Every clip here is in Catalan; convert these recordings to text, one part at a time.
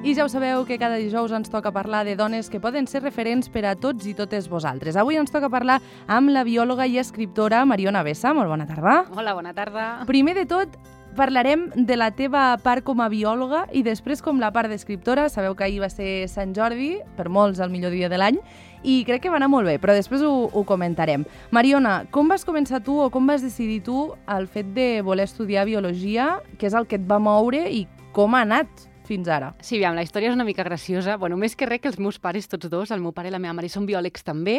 I ja ho sabeu que cada dijous ens toca parlar de dones que poden ser referents per a tots i totes vosaltres. Avui ens toca parlar amb la biòloga i escriptora Mariona Bessa. Molt bona tarda. Hola, bona tarda. Primer de tot, parlarem de la teva part com a biòloga i després com la part d'escriptora. Sabeu que ahir va ser Sant Jordi, per molts el millor dia de l'any, i crec que va anar molt bé, però després ho comentarem. Mariona, com vas començar tu o com vas decidir tu el fet de voler estudiar biologia, què és el que et va moure i com ha anat fins ara? Sí, aviam, la història és una mica graciosa. Bueno, més que res que els meus pares, tots dos, el meu pare i la meva mare, són biòlegs també.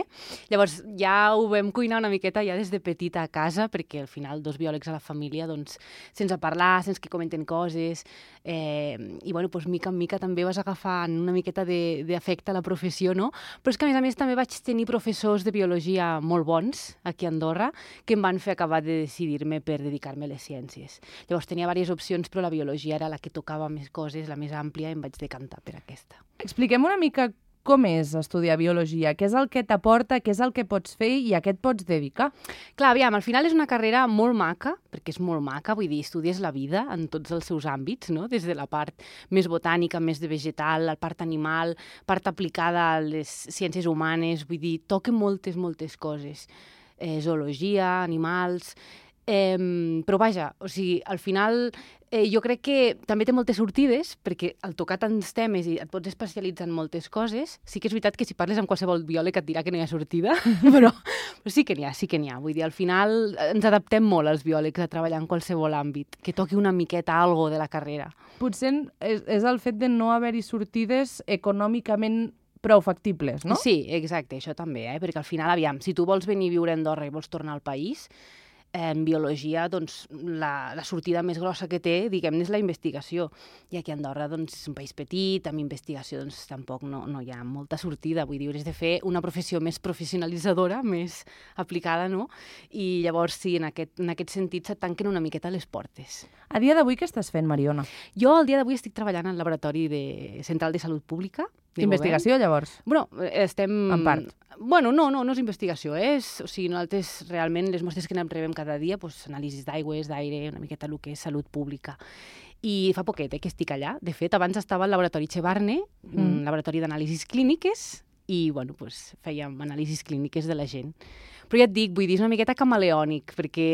Llavors, ja ho vam cuinar una miqueta ja des de petita a casa, perquè al final dos biòlegs a la família, doncs, sense parlar, sense que comenten coses, i bueno, doncs, mica en mica també vas agafant una miqueta d'afecte a la professió, no? Però és que, a més també vaig tenir professors de biologia molt bons aquí a Andorra, que em van fer acabar de decidir-me per dedicar-me a les ciències. Llavors, tenia diverses opcions, però la biologia era la que tocava més coses, més àmplia, i em vaig decantar per aquesta. Expliquem una mica com és estudiar biologia, què és el que t'aporta, què és el que pots fer i a què et pots dedicar. Clar, aviam, al final és una carrera molt maca, perquè és molt maca, vull dir, estudies la vida en tots els seus àmbits, no? Des de la part més botànica, més de vegetal, la part animal, part aplicada a les ciències humanes, vull dir, toca moltes coses. Zoologia, animals... però vaja, o sigui, al final jo crec que també té moltes sortides, perquè al tocar tants temes i et pots especialitzar en moltes coses, sí que és veritat que si parles amb qualsevol biòleg et dirà que no hi ha sortida, però sí que n'hi ha. Vull dir, al final ens adaptem molt els biòlegs a treballar en qualsevol àmbit, que toqui una miqueta algo de la carrera. Potser és el fet de no haver-hi sortides econòmicament prou factibles, no? Sí, exacte, això també, perquè al final, aviam, si tu vols venir a viure a Andorra i vols tornar al país, en biologia, doncs, la sortida més grossa que té, diguem-ne, és la investigació. I aquí a Andorra, doncs, és un país petit, amb investigació, doncs, tampoc no hi ha molta sortida. Vull dir, has de fer una professió més professionalitzadora, més aplicada, no? I llavors, sí, en aquest sentit, se't tanquen una miqueta les portes. A dia d'avui, què estàs fent, Mariona? Jo, al dia d'avui, estic treballant al Laboratori Central de Salut Pública. Investigació, llavors? Bueno, estem... En part. Bueno, no és investigació, o sigui, nosaltres realment les mostres que rebem cada dia, doncs, anàlisis d'aigües, d'aire, una miqueta el que és salut pública. I fa poquet que estic allà. De fet, abans estava al Laboratori Chevarne, laboratori d'anàlisis clíniques, i bueno, doncs, fèiem anàlisis clíniques de la gent. Però ja et dic, vull dir, és una miqueta camaleònic, perquè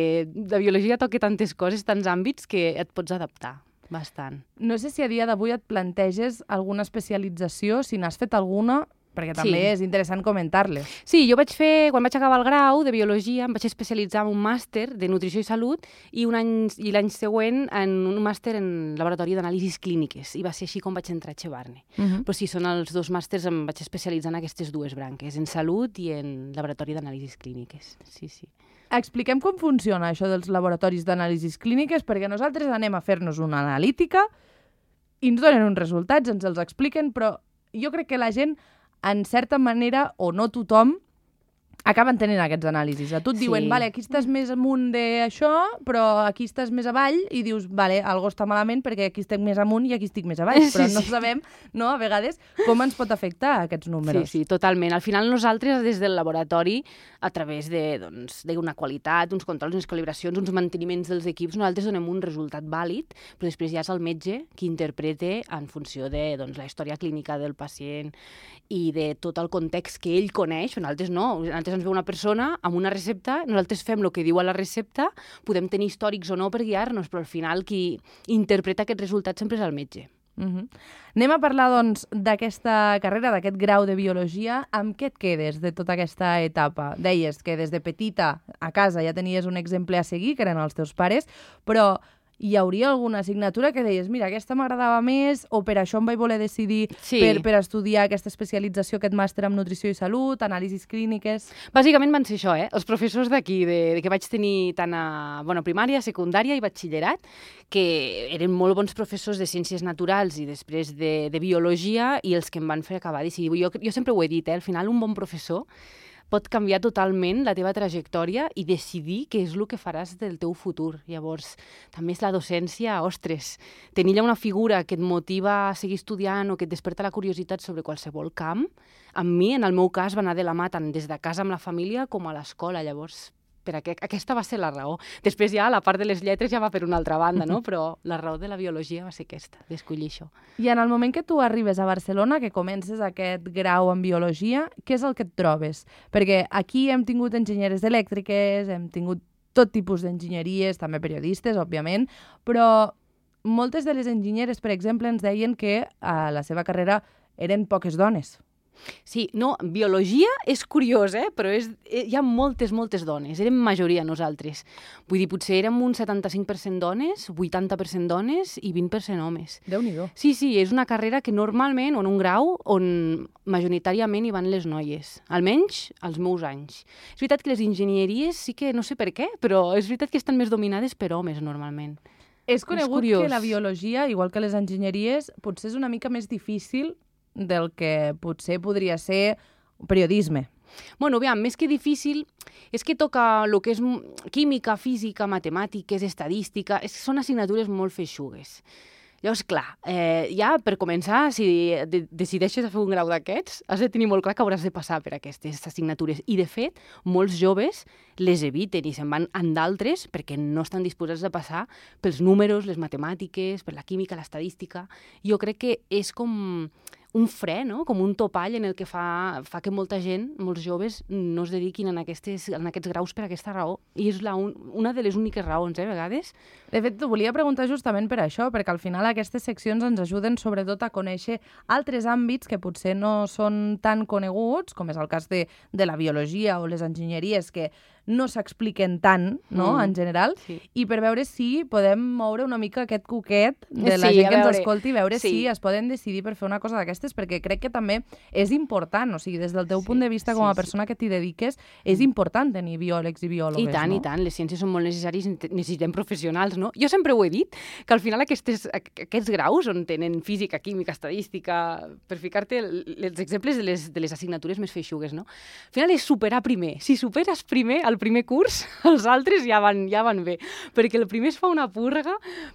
la biologia toca tantes coses, tants àmbits, que et pots adaptar bastant. No sé si a dia d'avui et planteges alguna especialització, si n'has fet alguna, perquè també és interessant comentar-les. Sí, jo quan vaig acabar el grau de biologia, em vaig especialitzar en un màster de nutrició i salut i l'any següent en un màster en laboratori d'anàlisis clíniques. I va ser així com vaig entrar a Chevarne. Però sí, són els dos màsters, em vaig especialitzar en aquestes dues branques, en salut i en laboratori d'anàlisis clíniques. Sí. Expliquem com funciona això dels laboratoris d'anàlisis clíniques, perquè nosaltres anem a fer-nos una analítica i ens donen uns resultats, ens els expliquen, però jo crec que la gent, en certa manera, o no tothom, acaben tenint aquests anàlisis. A tu et diuen, vale, aquí estàs més amunt d'això, però aquí estàs més avall, i dius, vale, algo està malament perquè aquí estic més amunt i aquí estic més avall, però no sabem, no, a vegades, com ens pot afectar aquests números. Sí, totalment. Al final nosaltres, des del laboratori, a través d'una qualitat, uns controls, unes calibracions, uns manteniments dels equips, nosaltres donem un resultat vàlid, però després ja és el metge qui interpreta en funció de la història clínica del pacient i de tot el context que ell coneix. Nosaltres no, nosaltres ens ve una persona amb una recepta, nosaltres fem el que diu a la recepta, podem tenir històrics o no per guiar-nos, però al final qui interpreta aquest resultat sempre és el metge. Anem a parlar, doncs, d'aquesta carrera, d'aquest grau de biologia. Amb què et quedes de tota aquesta etapa? Deies que des de petita a casa ja tenies un exemple a seguir, que eren els teus pares, però hi hauria alguna assignatura que deies, mira, aquesta m'agradava més, o per això em vaig voler decidir per estudiar aquesta especialització, aquest màster en nutrició i salut, anàlisis clíniques... Bàsicament van ser això, els professors d'aquí, que vaig tenir tant a primària, secundària i batxillerat, que eren molt bons professors de ciències naturals i després de biologia, i els que em van fer acabar de decidir. Jo sempre ho he dit, al final un bon professor pot canviar totalment la teva trajectòria i decidir què és el que faràs del teu futur. Llavors, també és la docència, ostres, tenir allà una figura que et motiva a seguir estudiant o que et desperta la curiositat sobre qualsevol camp, amb mi, en el meu cas, va anar de la mà tant des de casa amb la família com a l'escola. Llavors, aquesta va ser la raó. Després ja la part de les lletres ja va per una altra banda, no? Però la raó de la biologia va ser aquesta, d'escollir això. I en el moment que tu arribes a Barcelona, que comences aquest grau en biologia, què és el que et trobes? Perquè aquí hem tingut enginyeres elèctriques, hem tingut tot tipus d'enginyeries, també periodistes, òbviament, però moltes de les enginyeres, per exemple, ens deien que a la seva carrera eren poques dones. Sí, no, biologia és curiós, però hi ha moltes dones, érem majoria nosaltres. Vull dir, potser érem un 75% dones, 80% dones i 20% homes. Déu-n'hi-do. Sí, és una carrera que normalment, o en un grau, on majoritàriament hi van les noies, almenys als meus anys. És veritat que les enginyeries sí que, no sé per què, però és veritat que estan més dominades per homes, normalment. És conegut que la biologia, igual que les enginyeries, potser és una mica més difícil del que potser podria ser periodisme. Bueno, aviam, més que difícil, és que toca el que és química, física, matemàtiques, estadística, són assignatures molt feixugues. Llavors, clar, ja per començar, si decideixes fer un grau d'aquests, has de tenir molt clar que hauràs de passar per aquestes assignatures. I, de fet, molts joves les eviten i se'n van en d'altres perquè no estan disposats a passar pels números, les matemàtiques, per la química, l'estadística. Jo crec que és com un fre, no? Com un topall en el que fa que molta gent, molts joves, no es dediquin en aquests graus per aquesta raó. I és una de les úniques raons, a vegades. De fet, t'ho volia preguntar justament per això, perquè al final aquestes seccions ens ajuden sobretot a conèixer altres àmbits que potser no són tan coneguts, com és el cas de la biologia o les enginyeries, que no s'expliquen tant, no?, en general, i per veure si podem moure una mica aquest coquet de la gent que ens escolti i veure si es poden decidir per fer una cosa d'aquestes, perquè crec que també és important, o sigui, des del teu punt de vista com a persona que t'hi dediques, és important tenir biòlegs i biòlogues, no? I tant, les ciències són molt necessàries, necessitem professionals, no? Jo sempre ho he dit, que al final aquests graus on tenen física, química, estadística, per ficar-te els exemples de les assignatures més feixugues, no? Al final és superar primer. Si superes primer el primer curs, els altres ja van bé. Perquè el primer es fa una purga,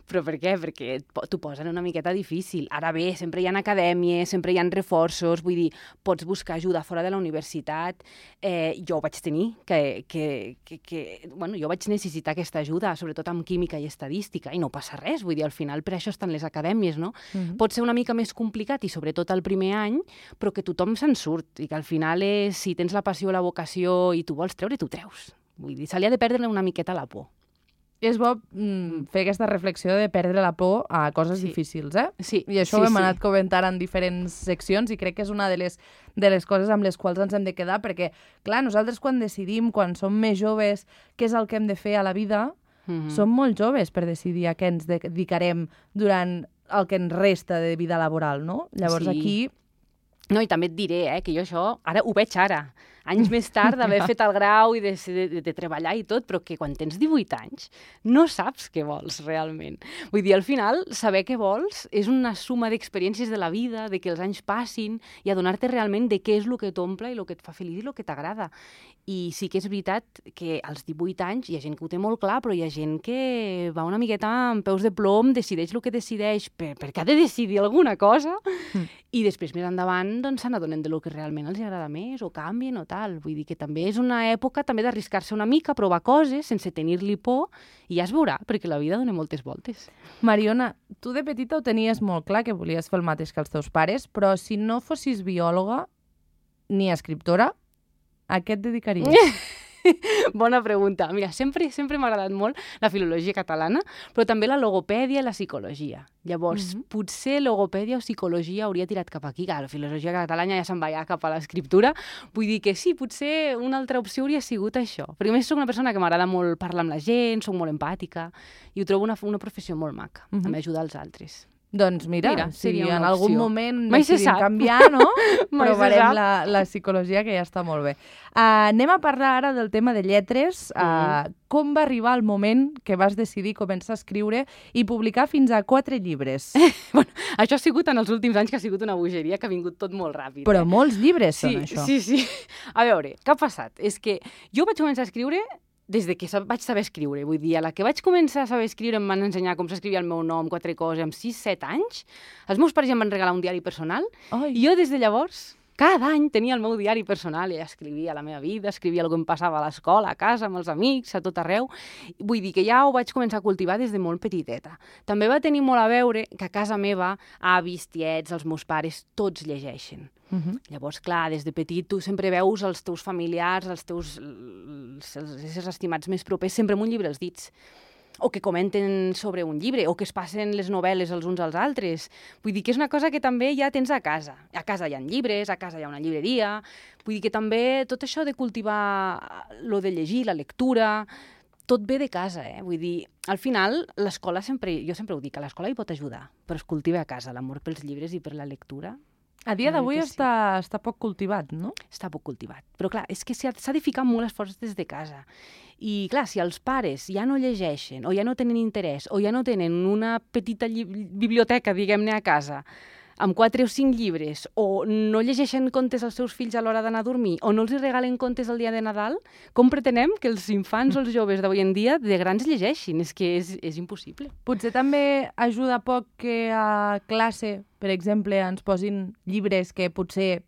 però per què? Perquè t'ho posen una miqueta difícil. Ara bé, sempre hi ha acadèmies, sempre hi ha reforços, vull dir, pots buscar ajuda fora de la universitat. Jo ho vaig tenir, jo vaig necessitar aquesta ajuda, sobretot amb química i estadística, i no passa res, vull dir, al final per això estan les acadèmies, no? Pot ser una mica més complicat, i sobretot el primer any, però que tothom se'n surt, i que al final si tens la passió o la vocació i tu vols treure, tu treus. Vull dir, se li ha de perdre una miqueta la por. És bo fer aquesta reflexió de perdre la por a coses difícils, eh? Sí. I això ho hem anat comentant en diferents seccions i crec que és una de les coses amb les quals ens hem de quedar, perquè, clar, nosaltres quan decidim, quan som més joves, què és el que hem de fer a la vida, som molt joves per decidir a què ens dedicarem durant el que ens resta de vida laboral, no? Llavors aquí... No, i també et diré que jo això ara ho veig ara. Anys més tard d'haver fet el grau i de treballar i tot, però que quan tens 18 anys no saps què vols realment. Vull dir, al final, saber què vols és una suma d'experiències de la vida, de que els anys passin i adonar-te realment de què és el que t'omple i el que et fa feliç i el que t'agrada. I sí que és veritat que als 18 anys hi ha gent que ho té molt clar, però hi ha gent que va una miqueta amb peus de plom, decideix el que decideix perquè ha de decidir alguna cosa i després més endavant doncs se n'adonen del que realment els agrada més o canvien o tal. Vull dir que també és una època també d'arriscar-se una mica, provar coses sense tenir-li por i ja es veurà, perquè la vida dona moltes voltes. Mariona, tu de petita ho tenies molt clar que volies fer el mateix que els teus pares, però si no fossis biòloga ni escriptora, a què et dedicaries? Bona pregunta. Mira, sempre m'ha agradat molt la filologia catalana, però també la logopèdia i la psicologia. Llavors, potser logopèdia o psicologia hauria tirat cap aquí. La filologia catalana ja se'n va cap a l'escriptura. Vull dir que sí, potser una altra opció hauria sigut això. Perquè a més soc una persona que m'agrada molt parlar amb la gent, soc molt empàtica, i ho trobo una professió molt maca, també ajudar els altres. Doncs mira, si en algun moment mai decidim canviar, no? Provarem la psicologia, que ja està molt bé. Anem a parlar ara del tema de lletres. Com va arribar el moment que vas decidir començar a escriure i publicar fins a 4 llibres? Bueno, això ha sigut en els últims anys, que ha sigut una bogeria, que ha vingut tot molt ràpid. Però molts llibres són això. Sí. A veure, què ha passat? És que jo vaig començar a escriure des de que vaig saber escriure. Vull dir, a la que vaig començar a saber escriure em van ensenyar com s'escrivia el meu nom, 4 coses, amb 6-7 anys. Els meus pares ja em van regalar un diari personal i jo des de llavors Cada any tenia el meu diari personal i escrivia la meva vida, escrivia el que em passava a l'escola, a casa, amb els amics, a tot arreu. Vull dir que ja ho vaig començar a cultivar des de molt petiteta. També va tenir molt a veure que a casa meva, avis, tiets, els meus pares, tots llegeixen. Llavors, clar, des de petit tu sempre veus els teus familiars, els éssers estimats més propers, sempre amb un llibre als dits, o que comenten sobre un llibre, o que es passen les novel·les els uns als altres. Vull dir que és una cosa que també ja tens a casa. A casa hi ha llibres, a casa hi ha una llibreria. Vull dir que també tot això de cultivar lo de llegir, la lectura, tot ve de casa, Vull dir, al final, l'escola jo sempre ho dic, a l'escola hi pot ajudar, però es cultiva a casa, l'amor pels llibres i per la lectura. A dia d'avui està poc cultivat, no? Està poc cultivat. Però clar, és que s'ha de ficar molt esforç des de casa. I clar, si els pares ja no llegeixen, o ja no tenen interès, o ja no tenen una petita biblioteca, diguem-ne, a casa, amb 4 o 5 llibres, o no llegeixen contes als seus fills a l'hora d'anar a dormir, o no els regalen contes el dia de Nadal, com pretenem que els infants o els joves d'avui en dia de grans llegeixin? És que és impossible. Potser també ajuda poc que a classe, per exemple, ens posin llibres que potser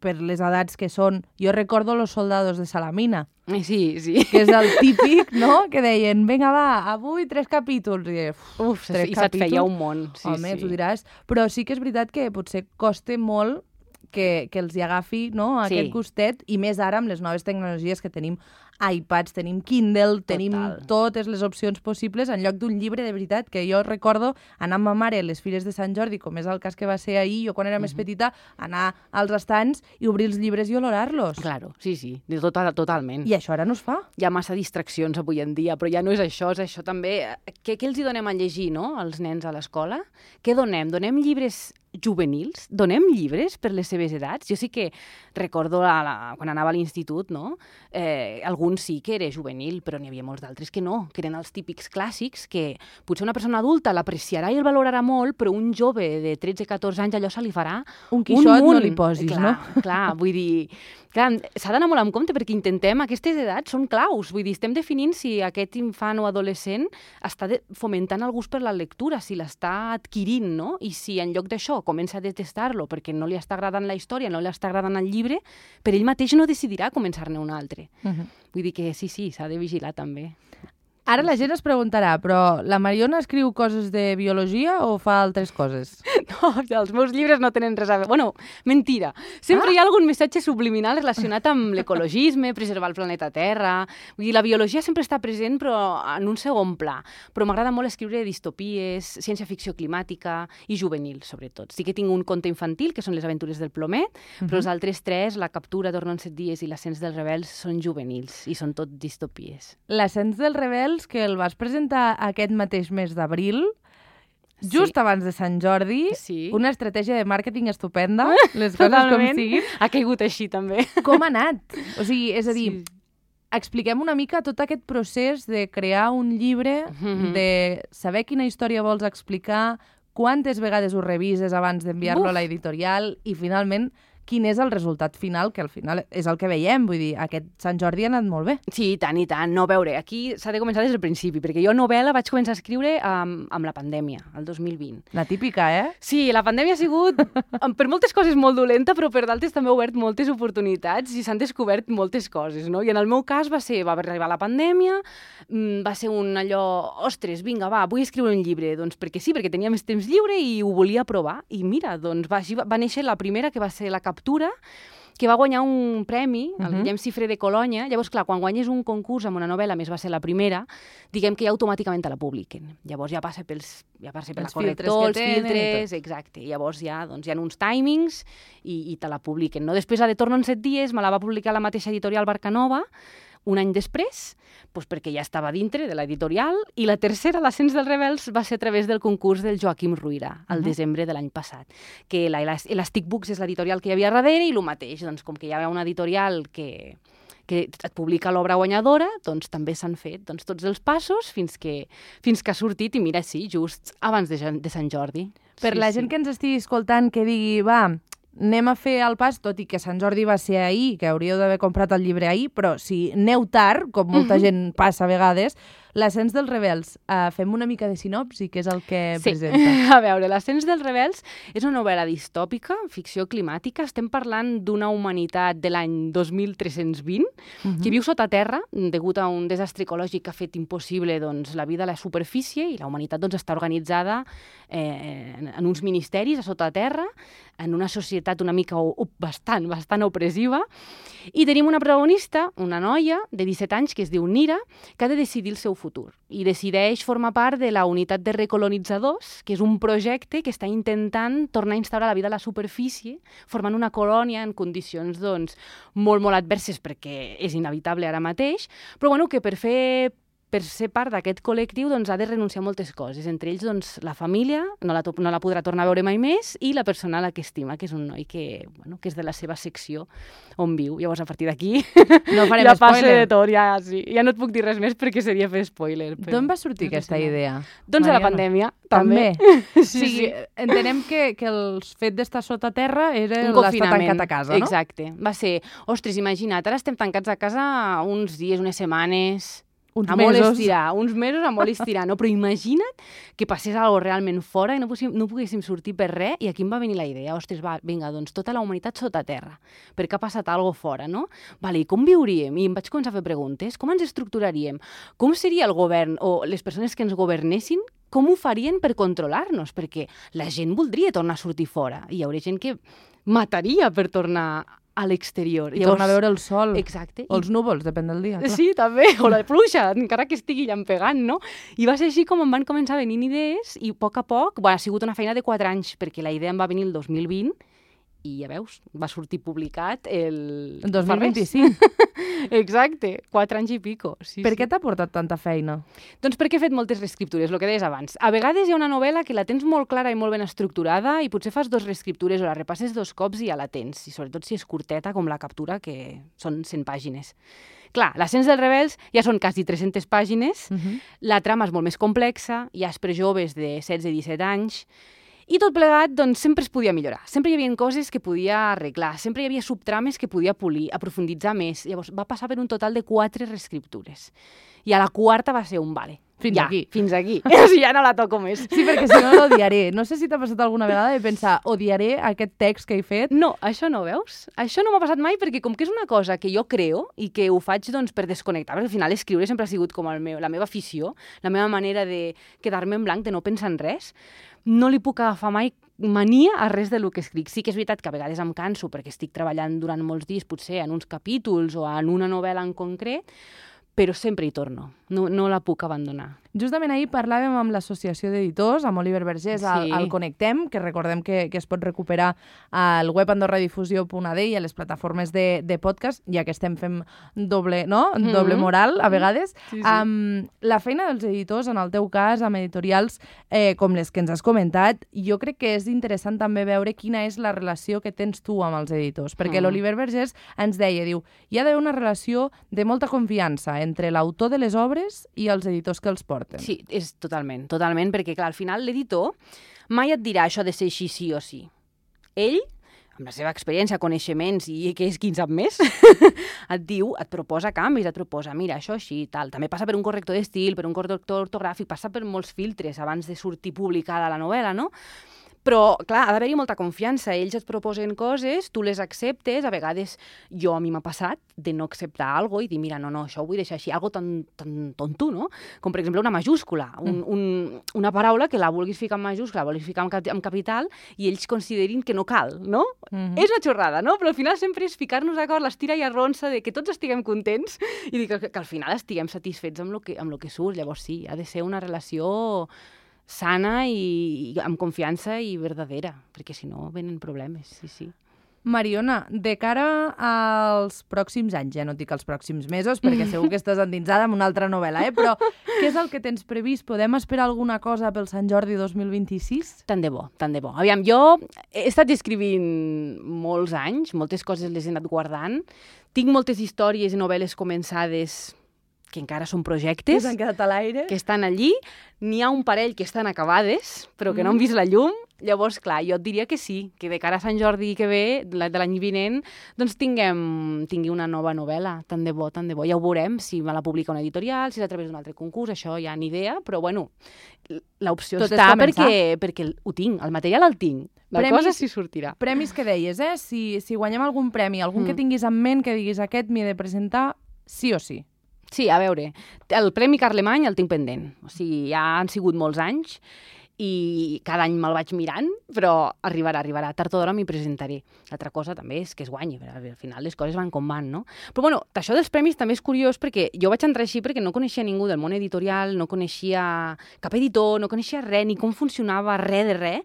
per les edats que són... Jo recordo Los soldados de Salamina. Sí. Que és el típic, no?, que deien, vinga, va, avui 3 capítols. I, 3 capítols. Se't feia un món. Home, tu diràs. Però sí que és veritat que potser costa molt que els hi agafi, no?, aquest gustet, i més ara amb les noves tecnologies que tenim iPads, tenim Kindle, tenim totes les opcions possibles en lloc d'un llibre, de veritat, que jo recordo anar amb ma mare a les fires de Sant Jordi, com és el cas que va ser ahir, jo quan era més petita, anar als estants i obrir els llibres i olorar-los. Claro, sí, totalment. I això ara no es fa. Hi ha massa distraccions avui en dia, però ja no és això també. Què els hi donem a llegir, no?, als nens a l'escola? Què donem? Donem llibres juvenils? Donem llibres per les seves edats? Jo sí que recordo quan anava a l'institut, no?, alguns sí que era juvenil, però n'hi havia molts d'altres que no, que eren els típics clàssics que potser una persona adulta l'apreciarà i el valorarà molt, però un jove de 13-14 anys allò se li farà un Quixot no li posis, no? Clar, vull dir... Clar, s'ha d'anar molt en compte perquè intentem, aquestes edats són claus, vull dir, estem definint si aquest infant o adolescent està fomentant el gust per la lectura, si l'està adquirint, no? I si en lloc d'això comença a detestar-lo perquè no li està agradant la història, no li està agradant el llibre, per ell mateix no decidirà començar-ne un altre. Vull dir que sí, s'ha de vigilar també. Ara la gent es preguntarà, però la Mariona escriu coses de biologia o fa altres coses? No, els meus llibres no tenen res a veure. Bueno, mentira. Sempre hi ha algun missatge subliminal relacionat amb l'ecologisme, preservar el planeta Terra... Vull dir, la biologia sempre està present, però en un segon pla. Però m'agrada molt escriure distopies, ciència-ficció climàtica i juvenil, sobretot. Sí que tinc un conte infantil, que són les aventures del plomer, però els altres 3, La captura torna en 7 dies i L'ascens dels rebels, són juvenils i són tot distopies. L'ascens dels rebels, que el vas presentar aquest mateix mes d'abril, just abans de Sant Jordi, una estratègia de màrqueting estupenda, les coses com siguin. Ha caigut així, també. Com ha anat? O sigui, és a dir, expliquem una mica tot aquest procés de crear un llibre, de saber quina història vols explicar, quantes vegades ho revises abans d'enviar-lo a l'editorial i, finalment, quin és el resultat final, que al final és el que veiem. Vull dir, aquest Sant Jordi ha anat molt bé. Sí, i tant. No, a veure, aquí s'ha de començar des del principi, perquè jo novel·la vaig començar a escriure amb la pandèmia, el 2020. La típica, Sí, la pandèmia ha sigut, per moltes coses, molt dolenta, però per d'altres també ha obert moltes oportunitats i s'han descobert moltes coses, no? I en el meu cas va arribar la pandèmia, va ser un allò, ostres, vinga, vull escriure un llibre, doncs perquè sí, perquè tenia més temps lliure i ho volia provar. I mira, doncs va néixer la primera, que va ser La captura, que va guanyar un premi, el Guillem Cifré de Colònia. Llavors, clar, quan guanyes un concurs amb una novel·la, més va ser la primera, diguem que ja automàticament te la publiquen. Llavors ja passa per la corrector, els filtres, exacte. Llavors ja hi ha uns timings i te la publiquen. No? Després, de Torno en 7 dies, me la va publicar la mateixa editorial Barcanova, un any després, perquè ja estava dintre de l'editorial, i la tercera, L'ascens dels rebels, va ser a través del concurs del Joaquim Ruyra, al desembre de l'any passat, que l'Elastic Books és l'editorial que hi havia darrere, i el mateix, doncs, com que hi ha una editorial que et publica l'obra guanyadora, doncs també s'han fet tots els passos fins que ha sortit, i mira, sí, just abans de Sant Jordi. Per la gent que ens estigui escoltant, que digui, anem a fer el pas, tot i que Sant Jordi va ser ahir, que hauríeu d'haver comprat el llibre ahir, però si aneu tard, com molta gent passa a vegades, L'ascens dels rebels, fem una mica de sinopsi, què és el que Sí. presenta? A veure, l'ascens dels rebels és una novel·la distòpica, ficció climàtica. Estem parlant d'una humanitat de l'any 2320 que viu sota terra degut a un desastre ecològic que ha fet impossible doncs, la vida a la superfície, i la humanitat doncs, està organitzada en uns ministeris a sota terra, en una societat una mica bastant opressiva, i tenim una protagonista, una noia de 17 anys que es diu Nira, que ha de decidir el seu futur i decideix formar part de la unitat de recolonitzadors, que és un projecte que està intentant tornar a instaurar la vida a la superfície, formant una colònia en condicions doncs, molt adverses perquè és inevitable ara mateix, però bueno, que per ser part d'aquest col·lectiu doncs, ha de renunciar a moltes coses. Entre ells, doncs, la família, no la podrà tornar a veure mai més, i la persona a la que estima, que és un noi que és de la seva secció on viu. Llavors, a partir d'aquí, No farem ja passa spoiler. de tot. Ja no et puc dir res més perquè seria fer spoiler. D'on va sortir aquesta idea? Doncs de la Mariona? pandèmia, També. també. Sí. Entenem que el fet d'estar sota terra era Un l'estar confinament. tancat a casa, no? Exacte. Va ser, ostres, imagina't, ara estem tancats a casa uns dies, unes setmanes, Uns a molt mesos. estirar, uns mesos a molt estirar, no? Però imagina't que passés alguna cosa realment fora i no poguéssim sortir per res, i aquí em va venir la idea, ostres, vinga, doncs tota la humanitat sota terra, perquè ha passat alguna cosa fora, no? Vale, i com viuríem? I em vaig començar a fer preguntes, com ens estructuraríem? Com seria el govern o les persones que ens governessin? Com ho farien per controlar-nos? Perquè la gent voldria tornar a sortir fora, i hi hauria gent que mataria per tornar a l'exterior. I tornar a veure el sol. Exacte. O els núvols, depèn del dia. Clar. Sí, també, o la pluja, encara que estigui llampegant, no? I va ser així com em van començar a venir idees, i a poc, ha sigut una feina de 4 anys, perquè la idea em va venir el 2020, i ja veus, va sortir publicat el... En 2025. Exacte, 4 anys i pico. Sí, Per què t'ha portat tanta feina? Doncs perquè he fet moltes reescriptures, el que deies abans. A vegades hi ha una novel·la que la tens molt clara i molt ben estructurada i potser fas 2 reescriptures o la repasses 2 cops i ja la tens, i sobretot si és curteta com la captura, que són 100 pàgines. Clar, l'ascens dels rebels ja són quasi 300 pàgines, la trama és molt més complexa, hi ha per joves de 16 i 17 anys, i tot plegat, doncs, sempre es podia millorar. Sempre hi havia coses que podia arreglar, sempre hi havia subtrames que podia polir, aprofunditzar més. Llavors, va passar per un total de 4 reescriptures. I a la 4ª va ser un vale. Fins aquí. Fins aquí. O sigui, ja no la toco més. Sí, perquè si no l'odiaré. No sé si t'ha passat alguna vegada de pensar, odiaré aquest text que he fet. No, això no, veus? Això no m'ha passat mai perquè com que és una cosa que jo creo i que ho faig doncs, per desconnectar, perquè al final escriure sempre ha sigut com la meva afició, la meva manera de quedar-me en blanc, de no pensar en res, no li puc agafar mai mania a res del que escric. Sí que és veritat que a vegades em canso perquè estic treballant durant molts dies, potser en uns capítols o en una novel·la en concret, però sempre hi torno. No la puc abandonar. Justament ahir parlàvem amb l'Associació d'Editors, amb Oliver Vergés, al Connectem, que recordem que es pot recuperar al web andorradifusió.ad i a les plataformes de podcast, ja que estem fent doble moral, a vegades. Sí. La feina dels editors, en el teu cas, amb editorials com les que ens has comentat, jo crec que és interessant també veure quina és la relació que tens tu amb els editors, perquè l'Oliver Vergés ens deia, diu, hi ha d'haver una relació de molta confiança entre l'autor de les obres i els editors que els porten. Sí, és totalment, perquè clar, al final l'editor mai et dirà això de ser així sí o sí. Ell, amb la seva experiència, coneixements i que és qui en sap més, et proposa canvis, et proposa, mira, això així, tal. També passa per un corrector d'estil, per un corrector ortogràfic, passa per molts filtres abans de sortir publicada la novel·la, no? Però, clar, ha d'haver-hi molta confiança. Ells et proposen coses, tu les acceptes. A vegades, a mi m'ha passat de no acceptar alguna cosa i dir, mira, no, això ho vull deixar així, algo tan tonto, no? Com, per exemple, una majúscula, una paraula que la vulguis ficar en majúscula, la vulguis ficar en capital i ells considerin que no cal, no? És una xorrada, no? Però al final sempre és ficar-nos d'acord, l'estira i arronsa de que tots estiguem contents i dir que al final estiguem satisfets amb lo que surt. Llavors, sí, ha de ser una relació sana i amb confiança i verdadera, perquè si no venen problemes, sí. Mariona, de cara als pròxims anys, ja no et dic els pròxims mesos, perquè segur que estàs endinsada en una altra novel·la, però què és el que tens previst? Podem esperar alguna cosa pel Sant Jordi 2026? Tant de bo. Aviam, jo he estat escrivint molts anys, moltes coses les he anat guardant, tinc moltes històries i novel·les començades que encara són projectes, Que s'han quedat a l'aire. que estan allí. N'hi ha un parell que estan acabades, però que no han vist la llum. Llavors, clar, jo et diria que sí, que de cara a Sant Jordi que ve, de l'any vinent, doncs tingui una nova novel·la. Tant de bo, tant de bo. Ja ho veurem, si me la publica una editorial, si és a través d'un altre concurs, això ja ni idea, però bueno, l'opció Tot és està començar. perquè ho tinc, el material el tinc. La cosa sí sortirà. Premis que deies, si guanyem algun premi, algun que tinguis en ment, que diguis aquest m'hi he de presentar, sí o sí. Sí, a veure, el Premi Carlemany el tinc pendent. O sigui, ja han sigut molts anys i cada any me'l vaig mirant, però arribarà. Tard o d'hora m'hi presentaré. L'altra cosa també és que es guanyi, perquè al final les coses van com van, no? Però bueno, això dels premis també és curiós perquè jo vaig entrar així perquè no coneixia ningú del món editorial, no coneixia cap editor, no coneixia res, ni com funcionava, res de res.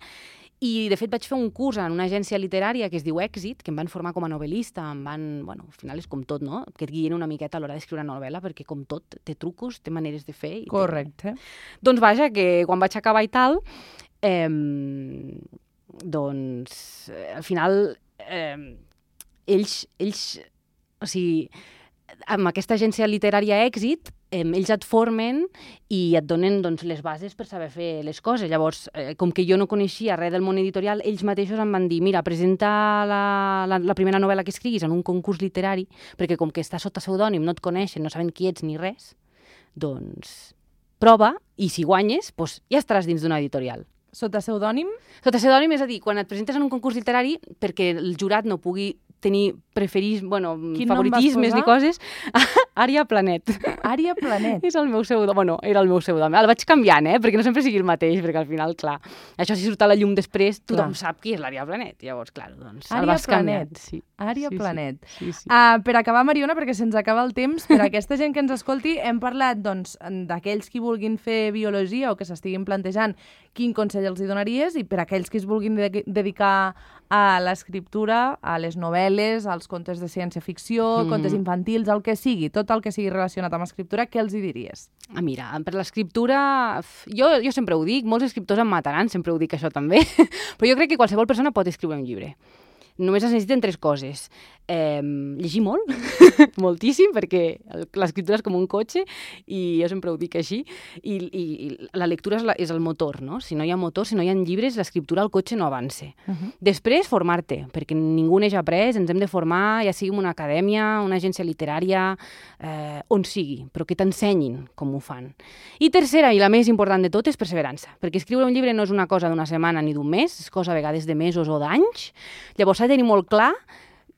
I, de fet, vaig fer un curs en una agència literària que es diu Èxit, que em van formar com a novel·lista, al final és com tot, no? Que et guien una miqueta a l'hora d'escriure una novel·la, perquè com tot, té trucos, té maneres de fer. Correcte. Doncs vaja, que quan vaig acabar i tal, al final, ells, o sigui, amb aquesta agència literària Èxit, ells et formen i et donen doncs, les bases per saber fer les coses. Llavors, com que jo no coneixia res del món editorial, ells mateixos em van dir, mira, presenta la primera novel·la que escriguis en un concurs literari, perquè com que està sota pseudònim, no et coneixen, no saben qui ets ni res, doncs prova i si guanyes, doncs ja estaràs dins d'una editorial. Sota pseudònim? Sota pseudònim, és a dir, quan et presentes en un concurs literari, perquè el jurat no pugui tenir favoritismes ni coses, Ària Planet. Ària Planet. És el meu pseudònim. Bueno, era el meu pseudònim. El vaig canviant, perquè no sempre sigui el mateix, perquè al final, clar, això si surt a la llum després, tothom sap qui és l'Ària Planet. Llavors, clar, doncs el vas canviant. Sí. Ària Planet. Sí. Per acabar, Mariona, perquè se'ns acaba el temps, per a aquesta gent que ens escolti, hem parlat doncs, d'aquells qui vulguin fer biologia o que s'estiguin plantejant quin consell els hi donaries, i per a aquells que es vulguin dedicar a l'escriptura, a les novel·les, als contes de ciència-ficció, contes infantils, el que sigui, tot el que sigui relacionat amb escriptura, què els hi diries? Mira, per l'escriptura, jo sempre ho dic, molts escriptors em mataran, sempre ho dic això també, però jo crec que qualsevol persona pot escriure un llibre. Només es necessiten 3 coses. Llegir molt, moltíssim, perquè l'escriptura és com un cotxe, i jo sempre ho dic així, i la lectura és el motor, no? Si no hi ha motor, si no hi ha llibres, l'escriptura al cotxe no avança. Després, formar-te, perquè ningú neix après, ens hem de formar, ja sigui en una acadèmia, una agència literària, on sigui, però que t'ensenyin com ho fan. I tercera, i la més important de tot, és perseverança, perquè escriure un llibre no és una cosa d'una setmana ni d'un mes, és cosa a vegades de mesos o d'anys. Llavors s'ha de tenir molt clar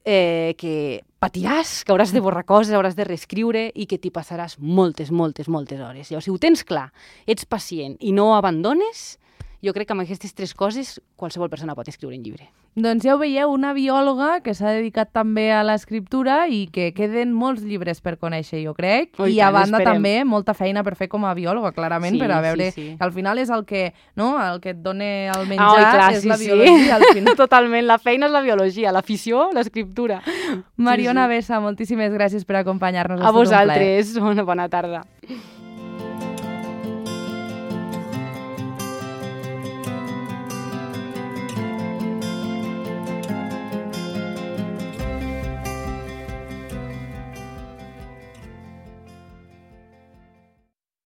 que patiràs, que hauràs de borrar coses, hauràs de reescriure i que t'hi passaràs moltes hores. Llavors, si ho tens clar, ets pacient i no ho abandones, jo crec que amb aquestes 3 coses qualsevol persona pot escriure un llibre. Doncs ja ho veieu, una biòloga que s'ha dedicat també a l'escriptura i que queden molts llibres per conèixer, jo crec. I a banda també molta feina per fer com a biòloga, clarament, per a veure que al final és el que et dona el menjar, és la biologia. Al final. Totalment, la feina és la biologia, l'afició, l'escriptura. Mariona Bessa, moltíssimes gràcies per acompanyar-nos. A vosaltres, una bona tarda.